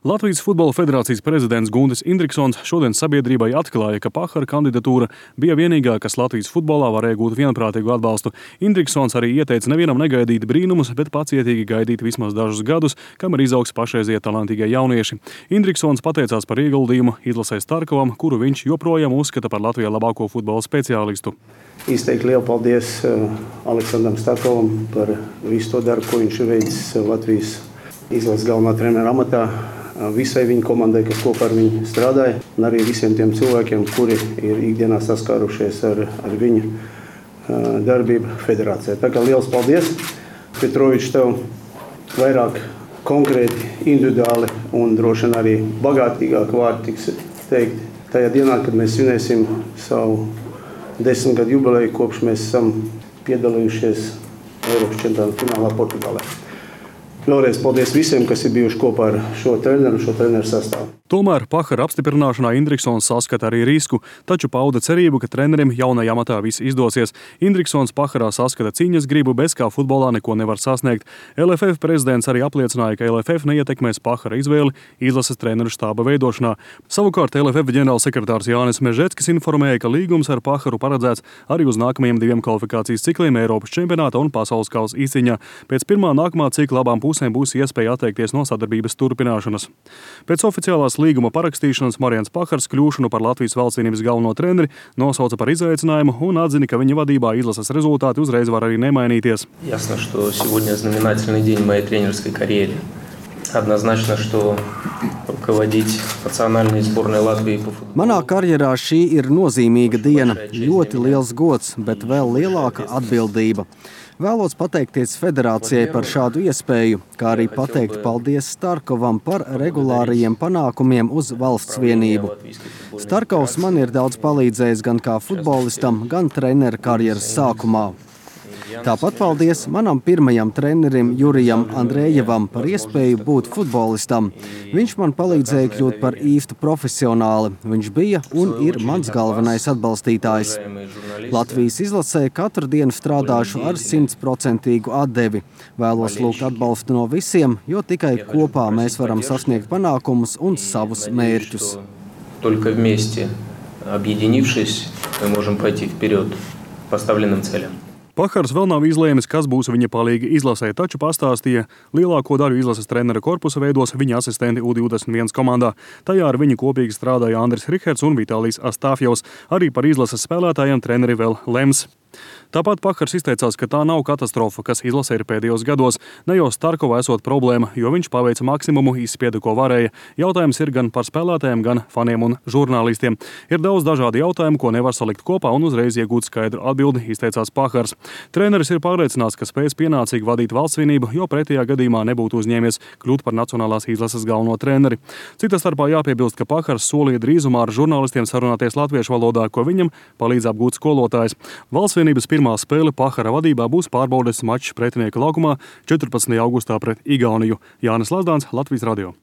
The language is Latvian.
Latvijas Futbola federācijas prezidents Guntis Indriksons šodien sabiedrībai atklāja, ka Pahara kandidatūra bija vienīgā, kas Latvijas futbolā varēja gūt vienprātīgu atbalstu. Indriksons arī ieteica nevienam negaidīt brīnumus, bet pacietīgi gaidīt vismaz dažus gadus, kamēr izaugs pašreizie talantīgie jaunieši. Indriksons pateicās par ieguldījumu izlasē Starkovam, kuru viņš joprojām uzskata par Latvijā labāko futbola speciālistu. Izteikt lielu paldies Aleksandram Starkovam par visu to darbu, ko viņš ir veicis Latvijas izlases galvenā trenera amatā. Visai viņa komandai, kas kopā ar viņu strādāja, un arī visiem tiem cilvēkiem, kuri ir ikdienā saskārušies ar viņa darbību federācijā. Tā kā liels paldies, Petrovičs, tev vairāk konkrēti, individuāli un droši vien arī bagātīgāk vārdi tiks teikt tajā dienā, kad mēs svinēsim savu 10 gadu jubileju, kopš mēs esam piedalījušies Eiropas čempionāta finālā Portugālē. Vēlreiz paldies visiem, kas ir bijuši kopā ar šo treneru sastāvu. Tomēr Pahara apstiprināšanā Indriksons saskata arī risku, taču pauda cerību, ka trenerim jaunajā amatā viss izdosies. Indriksons Paharā saskata cīņas gribu, bez kā futbolā neko nevar sasniegt. LFF prezidents arī apliecināja, ka LFF neietekmēs Pahara izvēli izlases treneru štāba veidošanā. Savukārt LFF ģenerālsekretārs Jānis Mežeckis informēja, ka līgums ar Paharu paredzēts arī uz nākamajiem 2 kvalifikācijas cikliem Eiropas čempionāta un pasaules kausa izcīņā. Pēc pirmā nākamā cikla abām pusēm būs iespēja atteikties no sadarbības turpināšanas. Pēc oficiālās līguma parakstīšanas Marians Pahars kļūšanu par Latvijas valstsvienības galveno treneri nosauca par izaicinājumu un atzina, ka viņa vadībā izlases rezultāti uzreiz var arī nemainīties. Ясно, что сегодня знаменательный день в моей тренерской карьере. Однозначно, что руководить национальной сборной Латвии по футболу. Manā karjerā šī ir nozīmīga diena, ļoti liels gods, bet vēl lielāka atbildība. Vēlos pateikties federācijai par šādu iespēju, kā arī pateikt paldies Starkovam par regulārajiem panākumiem uz valsts vienību. Starkovs man ir daudz palīdzējis gan kā futbolistam, gan treneru karjeras sākumā. Tāpat paldies manam pirmajam trenerim Jurijam Andrejevam par iespēju būt futbolistam. Viņš man palīdzēja kļūt par īstu profesionāli. Viņš bija un ir mans galvenais atbalstītājs. Latvijas izlasē katru dienu strādāšu ar 100% atdevi. Vēlos lūgt atbalstu no visiem, jo tikai kopā mēs varam sasniegt panākumus un savus mērķus. Только вместе, объединившись, мы можем пойти вперед поставленным целям. Pahars vēl nav izlēmis, kas būs viņa palīgi izlasē, taču pastāstīja, lielāko daļu izlases trenera korpusa veidos viņa asistenti U21 komandā. Tajā ar viņu kopīgi strādāja Andris Riherts un Vitālijs Astāfjevs. Arī par izlases spēlētājiem treneri vēl lems. Tāpat Pahars izteicās, ka tā nav katastrofa, kas izlasē ir pēdējos gados. Ne jau Starkova esot problēma, jo viņš paveica maksimumu, izspieda, ko varēja. Jautājums ir gan par spēlētājiem, gan faniem un žurnālistiem. Ir daudz dažādu jautājumu, ko nevar salikt kopā un uzreiz iegūt skaidru atbildi, izteicās Pahars. Treneris ir pārliecināts, ka spēs pienācīgi vadīt valstsvienību, jo pretējā gadījumā nebūtu uzņēmies kļūt par nacionālās izlases galveno treneri. Cita starpā jāpiebilst, ka Pahars solīja drīzumā ar žurnālistiem sarunāties latviešu valodā, ko viņam palīdz apgūt skolotājs. Valstsvienības pirmā spēle Pahara vadībā būs pārbaudes mačs Pretinieka laukumā 14. augustā pret Igauniju. Jānis Lazdāns, Latvijas radio.